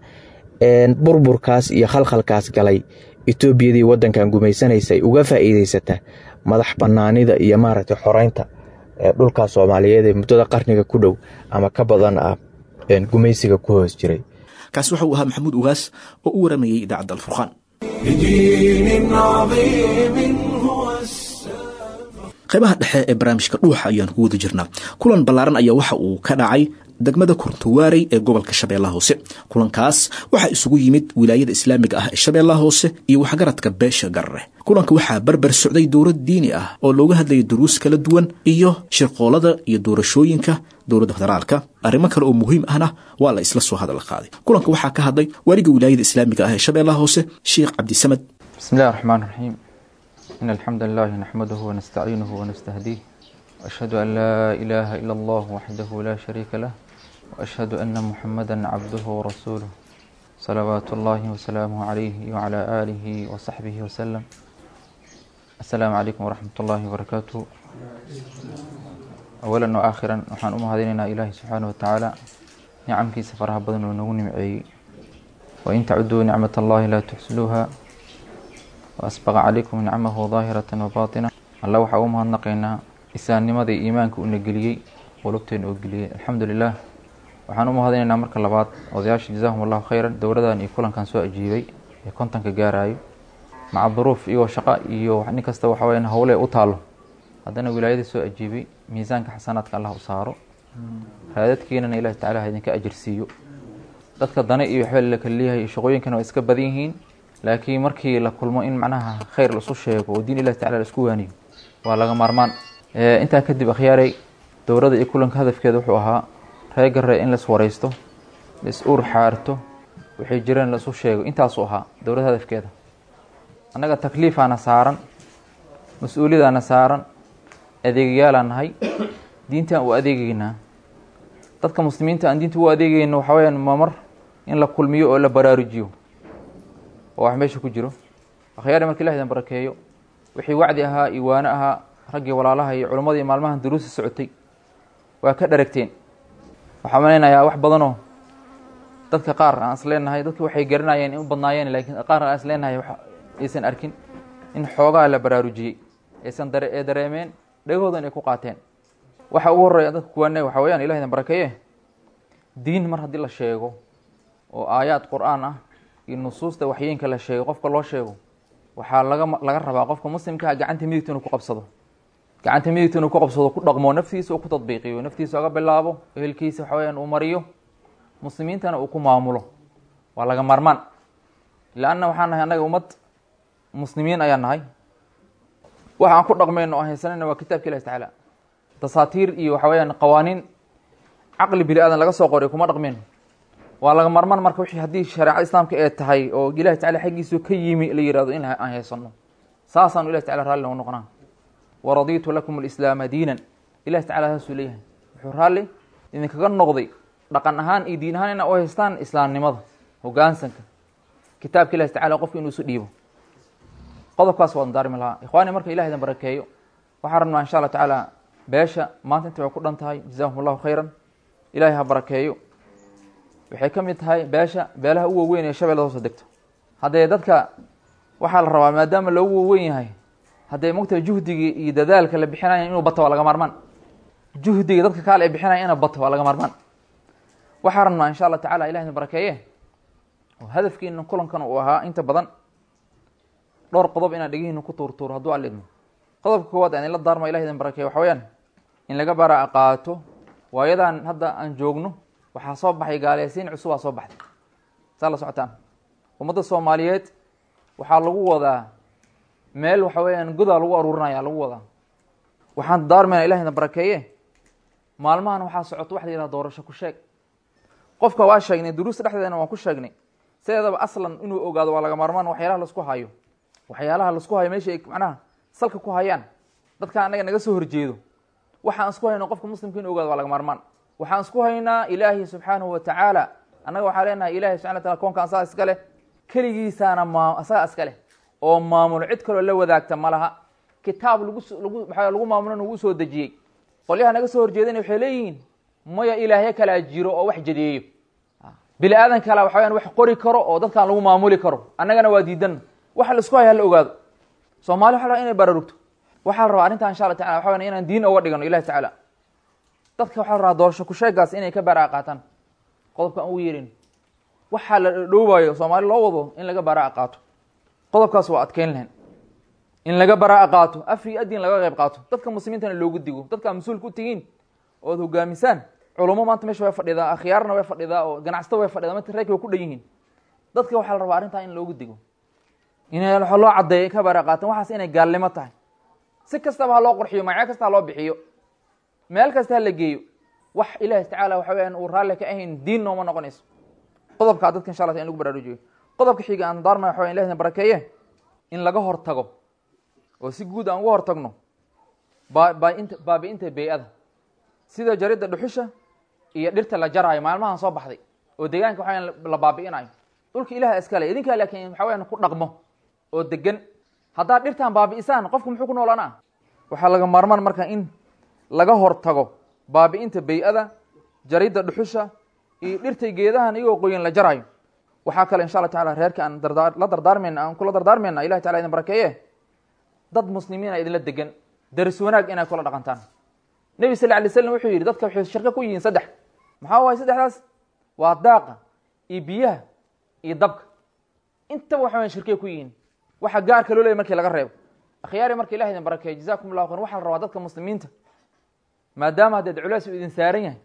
burburkaas iyo khalkhalkaas galay Etoobiyadii waddankan gumaysanaysay uga faa'iidaysata madax bannaanida iyo maaragtay xoreynta dhulka Soomaaliyeed ee muddada qarniga ku dhow ama ka badan ah gumaysiga ku hoos jiray. Kaasi waxa uu ahaa Maxamuud Ugaas oo u waramayay idaacadda Alfurqaan. Qaybaha dhexe ee barnaamijka Dhuuxa ayaan ku wada jirnaa. Kulan ballaaran ayaa waxa uu ka dhacay degmada Kurtuwaarey ee gobolka Shabeellaha Hoose. Kulankaas waxaa isugu yimid wilaayada islaamiga ah ee Shabeellaha Hoose iyo waxgaradka beesha Garre. Kulanka waxaa barbar socday dowlad diini ah oo looga hadlayay duruus kala duwan iyo shirqoolada iyo doorashooyinka dowladda federaalka. Arrimo kale oo muhiim ahna waa la isla soo hadal qaaday. Kulanka waxaa ka hadlay waaliga wilaayada islaamiga ah ee Shabeellaha Hoose, Sheekh Cabdisamad. Bismillahi rahmaani rahiim. إن الحمد لله نحمده ونستعينه ونستهديه، وأشهد أن لا إله إلا الله وحده لا شريك له، وأشهد أن محمدا عبده ورسوله صلوات الله وسلامه عليه وعلى آله وصحبه وسلم. السلام عليكم ورحمة الله وبركاته. أولا وآخرا waxaan u mahadinaynaa Ilaahay subxaanahu wa tacaala nicamkiisa faraha badan oo nagu nimceeyey. وإن تعدوا نعمة الله لا تحصوها وأسبغ عليكم نعمه ظاهرة وباطنة. Alla waxaa u mahadnaqaynaa islaamnimada iyo iimaanka uuna geliyey, qulubteena oo geliyey. Alxamdulilah. Waxaan u mahadinaynaa marka labaad odayaasha, jazaahum allahu khayran, dowladan iyo kulankan soo ajiibay ee kontonka gaarayo maca duruuf iyo shaqo iyo nin kasta waxa weyaan howle u taalo, haddana wilaayada soo ajiibay. Miisaanka xasanaadka allah u saaro, raadadkiinana ilahi tacala ha idinka ajirsiiyo. Dadka dane iyo waxba la kala leeyahay iyo shaqooyinkana waa iska badan yihiin, laakiin markii la kulmo in macnaha khayr la isu sheego oo diin ilahi tacala la isku waaniyo waa laga maarmaan. Intaa kadib, akhyaaray, dowladda iyo kulanka hadafkeeda wuxuu ahaa reer garre in lais wareysto, lais uur xaarto, waxay jireen la isu sheego. Intaasuu ahaa dowladda hadafkeeda. Annaga takliifaana saaran, mas-uuliyadaana saaran, adeegayaalaa nahay, diintaan u adeegeynaa dadka muslimiinta. Aan diinta u adeegeyno waxaa weyaan mamar in la kulmiyo oo la baraarujiyo oo wax meesha ku jiro. Akhyaari, marka ilah idin barakeeyo, wixii wacdi ahaa iyo waano ahaa raggii walaalaha iyo culimmadii maalmahan duruusta socotay waa ka dharagteen. Waxaa malaynayaa wax badanoo dadka qaar aan is leenahay dadki waxay garanayeen in u badnaayeen, laakiin qaar aan is leenahay wax aysan arkin in xoogaa la baraarujiyey aysan dare ee dareemeen dhegahoodan ay ku qaateen. Waxa ugu horreeya dadka kuwaanay waxa weeyaan, ilah idin barakeeye, diin mar haddii la sheego oo aayaad qur-aan ah iyo nusuusta waxyeenka la sheego qofka loo sheego, waxaa laga laga rabaa qofka muslimkaa gacanta midigta inuu ku qabsado, gacanta midigta inuu ku qabsado, ku dhaqmo, naftiisa uu ku tadbiiqiyo, naftiisa oga bilaabo, ehelkiisa waxa weyaan uu mariyo, muslimiintana uu ku maamulo. Waa laga maarmaan, leanna waxaan nahay annaga ummad muslimiin ayaan nahay. Waxa aan ku dhaqmayno oo haysanayna waa kitaabka ilahi tacaala. Dasaatiir iyo waxa weyaan qawaaniin caqli bini aadan laga soo qoray kuma dhaqmayno. Waa laga maarmaan marka wixii haddii shareecada islaamka ee tahay oo ilahi tacala xaggiisu ka yimi la yihahdo in aan haysano, saasaanu ilahi tacala raalli nogu noqonaa. Waradiitu lakum alislaama diinan, ilahi tacala saasuu leeyahay. Wuxuu raalli idinkaga noqday dhaqan ahaan iyo diin ahaan inaa u haystaan islaamnimada, hogaansanka kitaabka ilahi tacala, qofka inuu isu dhiibo. Qodobkaas waan daarmi lahaa, ikhwaani. Marka ilah idin barakeeyo, waxaan rabnaa insha allah tacaala beesha maanta inta way ku dhan tahay, jazaahum allahu khayran, ilahay ha barakeeyo. Waxay ka mid tahay beesha beelaha u waaweyn ee shabeellada hoose degto. Haddee dadka waxaa la rabaa, maadaama loogu waaweyn yahay, haddee mogtahay juhdigii iyo dadaalka la bixinaya inuu bato waa laga maarmaan. Juhdiga dadka kaale ay bixinaya inuu bato waa laga maarmaan. Waxaa rabnaa insha allah tacala, ilah idin barakeeye, oo hadafkiina kulankan uu ahaa inta badan dhowr qodob inaan dhegihiina ku tuurtuuro hadduu Alla idmo. Qodobka koowaad aan idinla daarma, ilah idin barakeeye, waxa weyaan in laga bara qaato waayadan hadda aan joogno. Waxaa soo baxay gaaleysiin cusubaa soo baxday, saa la socotaan. Ummadda soomaaliyeed waxaa lagu wadaa meel waxa weeyaan godaa lagu aruurinaya lagu wadaa. Waxaan daarmayna, ilah idin barakeeye, maalmahan waxaa socoto waxa la yihahda doorasho ku sheeg. Qofka waa sheegnay duruusta dhexdeedana waan ku sheegnay, sideedaba aslan inuu ogaado waa laga maarmaan waxyaalaha laisku hayo, waxyaalaha laisku hayo meesha ay macnaha salka ku hayaan dadka annaga naga soo horjeedo. Waxaan isku hayno qofka muslimka inuu ogaado waa laga maarmaan. Waxaan isku haynaa ilaahi subxaanahu wa tacaala. Annaga waxaa leenahay ilahi subxana wa taala koonka asaga iska leh, keligiisaana maa asaga iska leh oo maamulo, cid kaloo la wadaagta ma laha. Kitaab lagu lagu maxaa lagu maamulona wuu soo dejiyey. Qolyaha naga soo horjeedana waxay leeyihiin maya, ilaahyo kalaa jiro oo wax jadeeyo, bini aadan kala waxa weyaan wax qori karo oo dadkaan lagu maamuli karo, annagana waa diidan. Waxa la isku haya hala ogaado. Soomaali waxa la rabaa inay baraarugto. Waxaa la rabaa arrintan insha allah tacala waxa weyan inaan diin oga dhigano ilahi tacaala. Dadka waxaa la rabaa doorasho kusheegaas inay ka baraa qaataan. Qodobka aan ugu yeerin, waxaa la dhowaayo soomaali loo wado in laga baraa qaato, qodobkaas waa adkeyn lahayn in laga baraa qaato, af iyo adin laga qayb qaato, dadka muslimiintana loogu digo. Dadka mas-uulka u tihiin ood hogaamisaan, culummo maanta meesha way fadhidaa, akhyaarna way fadhidaa, oo ganacsato way fadhidaa, manta reerka way ku dhan yihiin. Dadka waxaa la rabaa arrintaa in loogu digo, in waxa loo caddeeyo ka baraa qaatan waxaas inay gaalnimo tahay. Si kastaba ha loo qurxiyo, magacyo kasta ha loo bixiyo, meel kasta ha la geeyo, wax ilaahi tacaala waxa weyaan uu raalli ka ahayn diin nooma noqonayso. Qodobkaa dadka insha allah in lagu baraarujiyo. Qodobka xiga aan daarmaya waxa weyan, ilahina barakeeye, in laga hortago oo si guud aan uga hortagno baainta baabi'inta bey-ada, sida jaridda dhuxusha Iyo dhirta la jaraayo maalmahan soo baxday oo deegaanka waxa weyaan la baabi'inayo. Dhulka Ilaah iskale idinkaa, laakiin waxa weyaan ku dhaqmo oo degan. Haddaad dhirtan baabi'isaan, qofku muxuu ku noolaanaa? Waxaa laga maarmaan marka in laga hortago baabi'inta bey-ada, jaridda dhuxusha iyo dhirtay geedahan iyagoo qoyan la jaraayo. Waxaa kale insha Allah tacala reerka aan dardaa la dardaarmayna, aan kula dardaarmayna, Ilahi tacala idin barakeeye, dad muslimiina idinla degan, daris wanaag inay kula dhaqantaan. Nebi sal alay slam wuxuu yidhi, dadka waxay shirko ku yihiin saddex. Maxaa waay saddexdaas? Waa daaqa iyo biyaha iyo dabka. Intaba waxa wayan shirkay ku yihiin, waxa gaarka loo leeyay markii laga reebo. Akhyaari, marka Ilah idin barakeeyo, jazakum allahu khayr. Waxaa la rabaa dadka muslimiinta, maadaama haddeed culays uu idin saaran yahay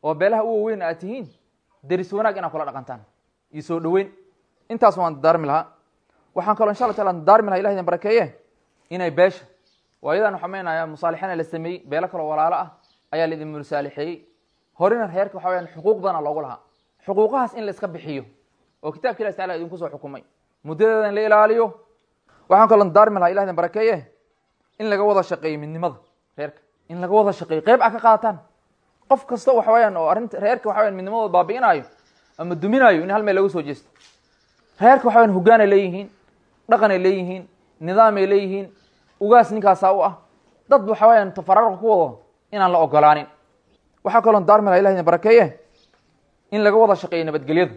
oo beelaha u waweyn aad tihiin, deris wanaag inaad kula dhaqantaan iyo soo dhoweyn. Intaas waan dardaarmi lahaa. Waxaan kaloo insha Allah taala dardaarmi lahaa, Ilah idin barakeeye, inay beesha waayadan waxaa meenaya musaalixina la sameeyey, beelo kaloo walaalo ah ayaa la idin musaalixeeyey. Horena reerka waxa weyaan xuquuq badana loogu lahaa, xuquuqahaas in la iska bixiyo oo kitabka Ilahi tacala idinku soo xukumay muddadeeda in la ilaaliyo. Waxaan kaloo dardaarmi lahaa, Ilah idin barakeeye, in laga wada shaqeeyo midnimada reerka, in laga wada shaqeeyo, qeyb a ka qaadataan. Qof kasta waxa weyaan oo arrinta reerka waxa weyaan midnimadooda baabi'inaayo ama duminaayo, in hal meel laga soo jeesto. Reerka waxa weyaan hoggaanay leeyihiin, dhaqanay leeyihiin, nidaamay leeyihiin, ugaas ninkaasaa u ah. Dad waxa weyaan tafaraaruq ku wado inaan la ogolaanin. Waxaa kaloo daarmi laha, Ilah idin barakeeye, in laga wada shaqeeyo nabadgelyada.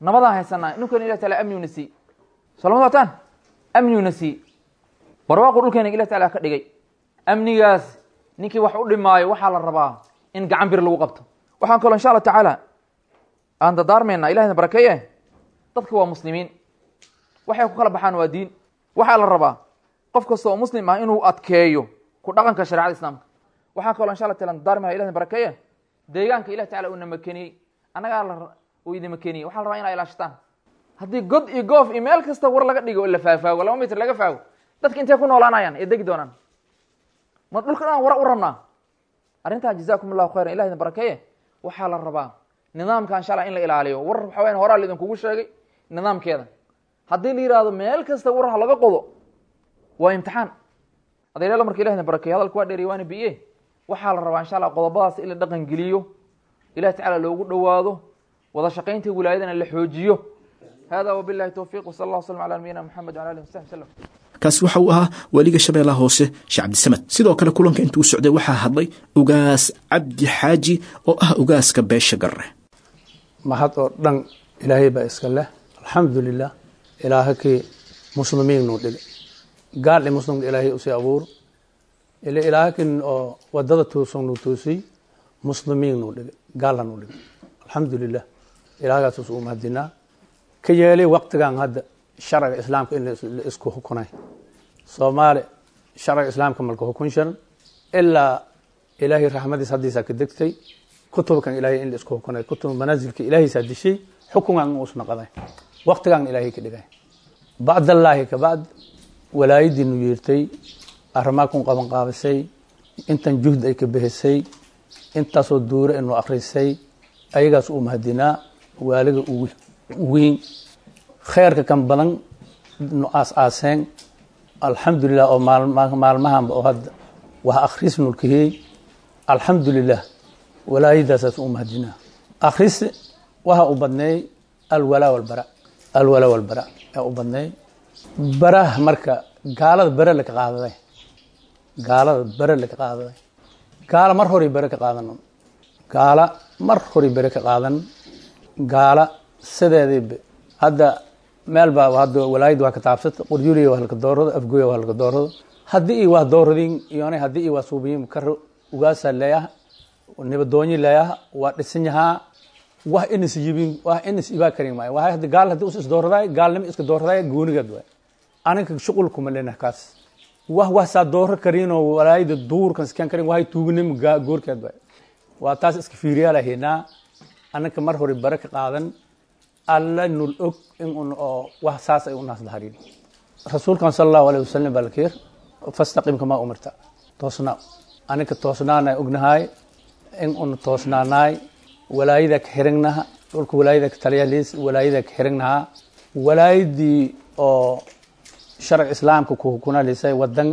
Nabadaan haysanaa ninkan Ilah taala amniguna sii solama socotaan, amniguna sii barwaaqu dhulkeena Ilah taala ka dhigay. Amnigaas ninkii wax u dhimaayo waxaa la rabaa in gacan bir lagu qabto. Waxaan kaloo insha Allah tacaala aan dardaarmayna, Ilah idin barakeeye, dadka waa muslimiin, waxay ku kala baxaan waa diin. Waxaa la rabaa qof kasta oo muslim ah inuu adkeeyo ku dhaqanka sharecada islaamka. Waxaan kaloo insha Allah taala dardaarmi laha, Ilah idin barakeeye, deegaanka Ilah tacala uu namakeniyey, annagaa la uu idin makeniyey, waxaa la rabaa inaa ilaashataan. Haddii god iyo goof iyo meel kasta war laga dhigo oo la faafaago, laba mitir laga faago, dadka intay ku noolaanayaan ee degi doonaan? Ma dhulka dhan wara u rabnaa arrintaa? Jazakum allahu khayran, Ilah idin barakeeye. Waxaa la rabaa nidaamka insha Allah in la ilaaliyo. War waxa wayan horaa la idinkugu sheegay nidaamkeeda. Haddii la yihahdo meel kasta war ha laga qodo, waa imtixaan adeeryaal. Marka Ilah idin barakeeye, hadalka waa dheeriy waana biye. Waxaa la rabaa insha Allah qodobadaas in la dhaqan geliyo, Ilahi tacala loogu dhowaado, wada shaqaynta wilaayadana la xoojiyo. Hada wabillahi towfiiq, wsala allah wslam ala nabiyina Moxamed wala alihi wasaxbi wasalam. Kaasi waxa uu ahaa waaliga Shabeellaha Hoose, Sheekh Cabdisamed. Sidoo kale kulanka intuu socday waxaa hadlay Ugaas Cabdi Xaaji oo ah ugaaska beesha Garre. Mahad oo dhan Ilaahay baa iska leh, alxamdu lilah. Ilaahakii muslimiin nuu dhigay, gaal i muslimka Ilaahay usii abuur ila ilaahakin oo wadada tuusan nuu toosiy, muslimiin nuu dhigay, gaalna nuu dhigay, alxamdu lilah. Ilaahagaas u mahadinaa ka yeelay waqtigan hadda sharciga islaamka in la isku xukunay. Soomaali sharciga islaamka malka xukun sharan ilaa Ilaahay raxmadiis haddiisaa ka degtay kutubkan Ilaahay in la isku xukunay, kutub manaasilka Ilaahaysaa dishay, xukungan in uus naqaday waqtigan Ilaahay ka dhigay. Bacdallaahi ka bacd walaayadiinu yeertay, arrimaa kun qaban qaabisay, intan juhd ay ka bixisay, intaasoo duure inuu akhrisay, ayagaas uu mahadinaa. Waaliga ugu weyn kheerka kan badan nu aas aaseen, alxamdulilah, oo maalmahanba oo hadda wax akhris nulkahiyey, alxamdulilah, walaayadaasaas u mahadinaa. Akhris waxa u badneey alwalaa walbara, alwalaa walbara ee u badneey baraha. Marka gaalada bare laka qaadaday, gaalada bare laka qaadaday, gaala mar horay bare ka qaadan, gaala mar horay bare ka qaadan. Gaala sideediiba hadda meel baa hadda walaayad waa ka taabsata, Qorjuliya waa halka doorado, Afgoya waa halka doorado. Haddii i waa dooradin iyona haddii i waa suubiyin kar ugaasaa leeyaha, nibadoonyi leeyaha, waa dhisan yahaa, wax inis yibin, wax inis ibaa karin maayo. Waxay hadda gaal haddii us isdooraday, gaalnimo iska dooraday goonigeed waay, aninka shuqul kuma leenah kaas. Wax wax saa dooro karinoo walaayada duurkan iskaan karin, waxay tuugnimo goorkeed waay, waa taas iska fiiriyaa lahaynaa. Anaka mar hore bare ka qaadan, Alla nul og in un oo wax saas ay u naas daharin. Rasuulkan sala allahu alayhi wasalam baa lakeer fastaqim kamaa umirta, toosnaa. Aninka toosnaana ognahay in un toosnaanaay, walaayada ka xirignaha, dhulka walaayada ka taliyaliis, walaayada ka xirignahaa, walaayadii oo sharci islaamka ku hukunalisay wadan,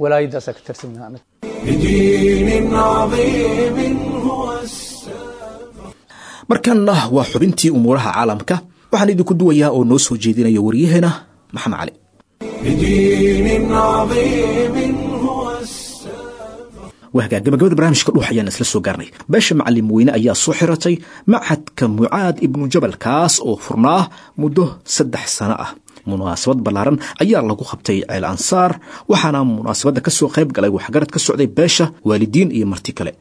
walaayadaasa ka tirsannaha. بدين عظيم هو السلام. Markanna waa xubintii umuuraha caalamka. Waxaan idinku duwayaa oo noo soo jeedinaya waryaheena Maxamed Cali. بدين عظيم هو Wahgaa gabagabada barnaamijka Dhuux ayaan isla soo gaarnay. Beesha Macalin Weyne ayaa soo xiratay machadka Mucaad Ibnu Jabal, kaas oo furnaa muddo saddex sano ah. Munaasabad ballaaran ayaa lagu qabtay Ceel Ansaar, waxaana munaasabadda ka soo qayb galay waxgarad ka socday beesha, waalidiin iyo marti kale.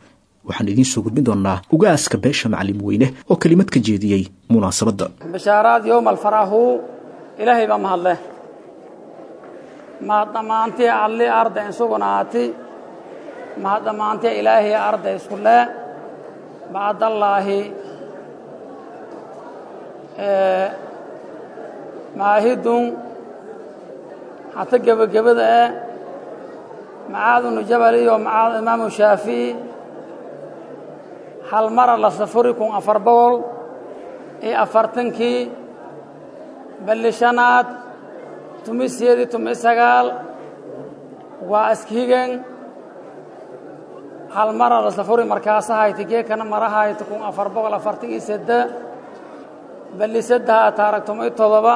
Waxaan idiin soo gudbin doonaa ugaaska beesha Macalin Weyne oo kelimad ka jeediyey munaasabadda. Bishaaraad yowma alfarahu, Ilaahay baa mahadleh. Mahad dhammaantii alli arday insugnaati, mahad dhammaantii Ilaahay arday isku le. Bacdallaahi, maahidun hata gebagabada eh Macaad ibnu Jabal iyo Macaad Imaamu Shaafici hal mara la safuri kun afar boqol iyo afartankii balli shanaad tumi siyeedi tumi sagaal waa iskihigen hal mara la safuri. Markaasahayti geekana marahayti kun afar boqol afartan iyo sedde balli saddeha taarag tumi todoba.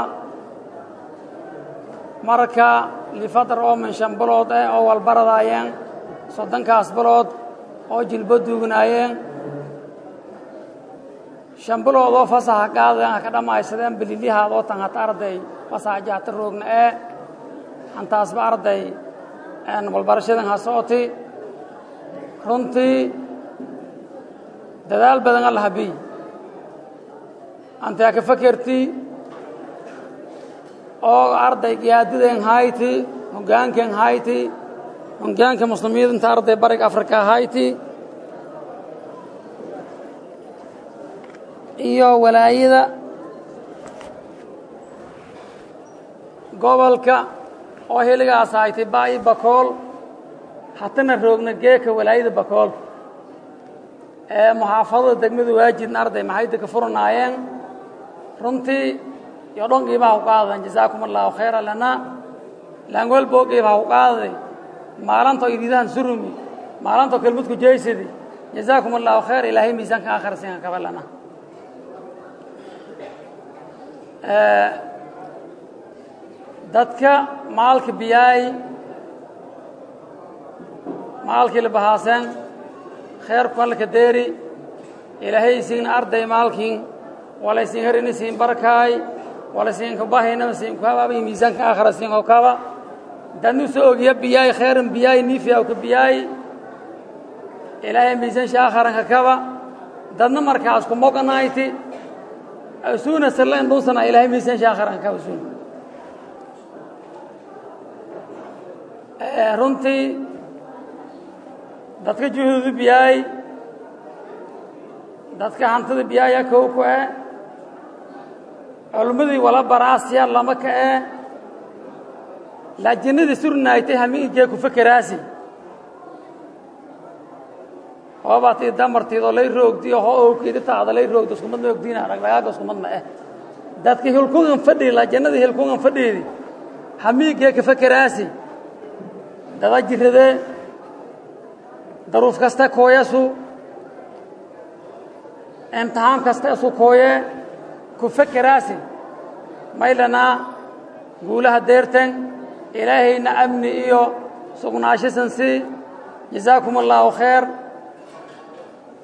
Marka lifadar oo min shan bilood eh oo walbaradaayeen, soddonkaas bilood oo jilbo duugnaayeen, shan bilood oo fasaxa qaadeen ha ka dhammaysadeen bililihaad oo tan hata arday fasaxa jahta roogna ee hantaasba arday walbarashadan ha socoti. Runtii dadaal badan alla habiy antaa ka fakerti oo arday giyaadideen hayti, hogaankeen hayti, hogaanka muslimiinta arday Bariga Afrika hayti iyo walaayada gobolka oo heligaas hayti Baayi Bakool, hatana roogna geeka walaayada Bakool ee muxaafadada degmada Waajidna arday maxay ka furanaayeen. Runtii iyo dhan qiimaha u qaadan, jazaakum Allahu khayran lana laangol boo qiimaha u qaaday maalinta iridahan surumi maalinta kelmadku jeysidi. Jazaakum Allahu khayr, Ilaahay miisaanka aakhir siin ka balana. Ee dadka maalka biyaay, maalkii la bahaaseen khayrku alla ka deeri, Ilaahay siin arday maalkiin walaysiin harini siin barakaay walaysiin ka bahayna siin ku habaabay miisaanka aakhira siin oo kaba danu soo ogiya biyaay khayran biyaay niifiya ka biyaay, Ilaahay miisaan shaakharan ka kaba dadna markaas ku moqanayti asuuna sallan dhuusana, Ilaahay miisaan shaakharan ka usuun. Runtii dadka juhuudu biyaay, dadka hantida biyaaya kow ku eh, culimmadii wala baraasiya lama ka eh, laajinadii surnaaytay hamiigee ku fakeraasi hoobatii damartiidoo lay roogdiyo hoo owkeedi taada lay roogdo iskumad ma ogdiina dhagdhagaaga iskumad ma eh. Dadka hilkugan fadhii laajinadii hilkugan fadhiidi hamiigee ka fakeraasi dada jiradee daruuf kasta kooyasu imtixaan kasta isu kooye ku fakeraasi maylanaa guulaha deerten, Ilaahayna amni iyo sugnaashisan sii. Jazaakum Allaahu khayr.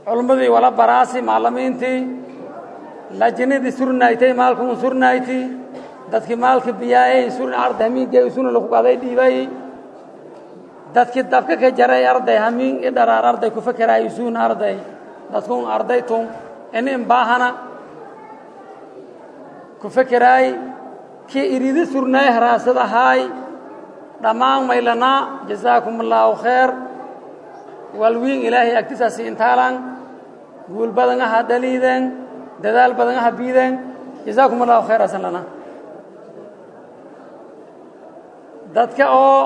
Culimmadii wala baraasi, macallimiintii lajinadii surnaaytay maalkun surnayti, dadkii maalka biyaayay surna arday hamiinkee suna lagu qaaday dhiibay, dadkii dabka ka jaray arday hamiin i dharaar arday ku fakeraay suun arday dadkun ardaytun in imbaahana ku fakeraay kii iridi surnaay haraasad ahaay dhammaan maylanaa. Jazaakum Allaahu khayr walwiin Ilaahay agtisaasi intaalan guul badan aha dhaliideen, dadaal badan aha biideen. Jazaakum Allahu khayr asan lana. Dadka oo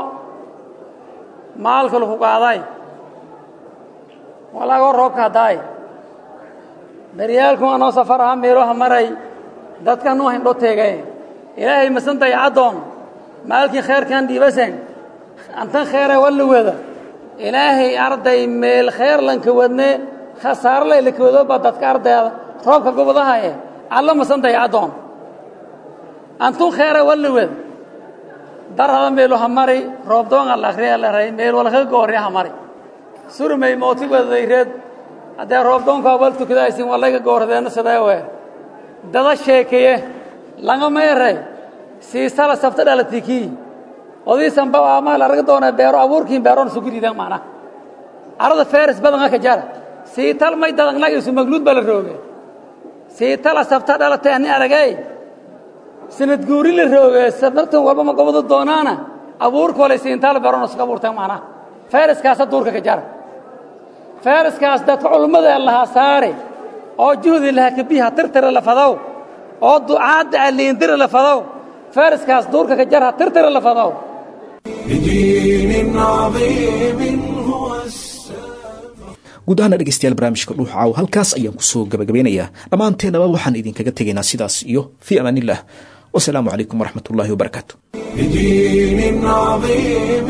maalka lagu qaaday walaagoo roobka haddaay daryaalku anoo safar aha meeloha maray dadka nuu hindho teegay, Ilaahay masan dayacaddoon maalkii khayrkan dhiibasen antan khayra walla wada Ilaahay arday meel khayr lanka wadne khasaare lay laka wado baa dadka ardayda Roobka gobodahaye alla masantahay addoon antun kheera walliwed darhada meelu ha mari roobdoonga la akhriya la ray meel walka goorya ha mari surmay mooti wadayreed haddee roobdoonka wal tukadaysin walayga goordeena sidee we dada sheekeye langa meeray siisala sabta dhalatiki odiisan ba ama la arag doona beero abuurkiin beeroon sugiriidan macna arada feris badan ka jara siital may dadangnaga isu magluud bala rooge siitala sabta dhalatay ani aragay sanad guuri la rooge sabtan walba ma gobado doonaana abuurka wala siintaal beeroon isku abuurtan macna feriskaas duurka ka jara feriskaas dadka culimada laha saare oo juhdi laha kabiha tirtira la fadow oo ducaada aliindira la fadow feriskaas duurka ka jara tirtira la fadow. بدين عظيم هو السلام. Guud ahaana dhegeystayaal, barnaamijka Dhuux Caaw halkaas ayaan kusoo gabagabeynayaa. Dhammaanteennaba waxaan idinkaga tegaynaa sidaas iyo fii amaanillah, wasalaamu calaykum waraxmatullaahi wabarakaatu. بدين عظيم.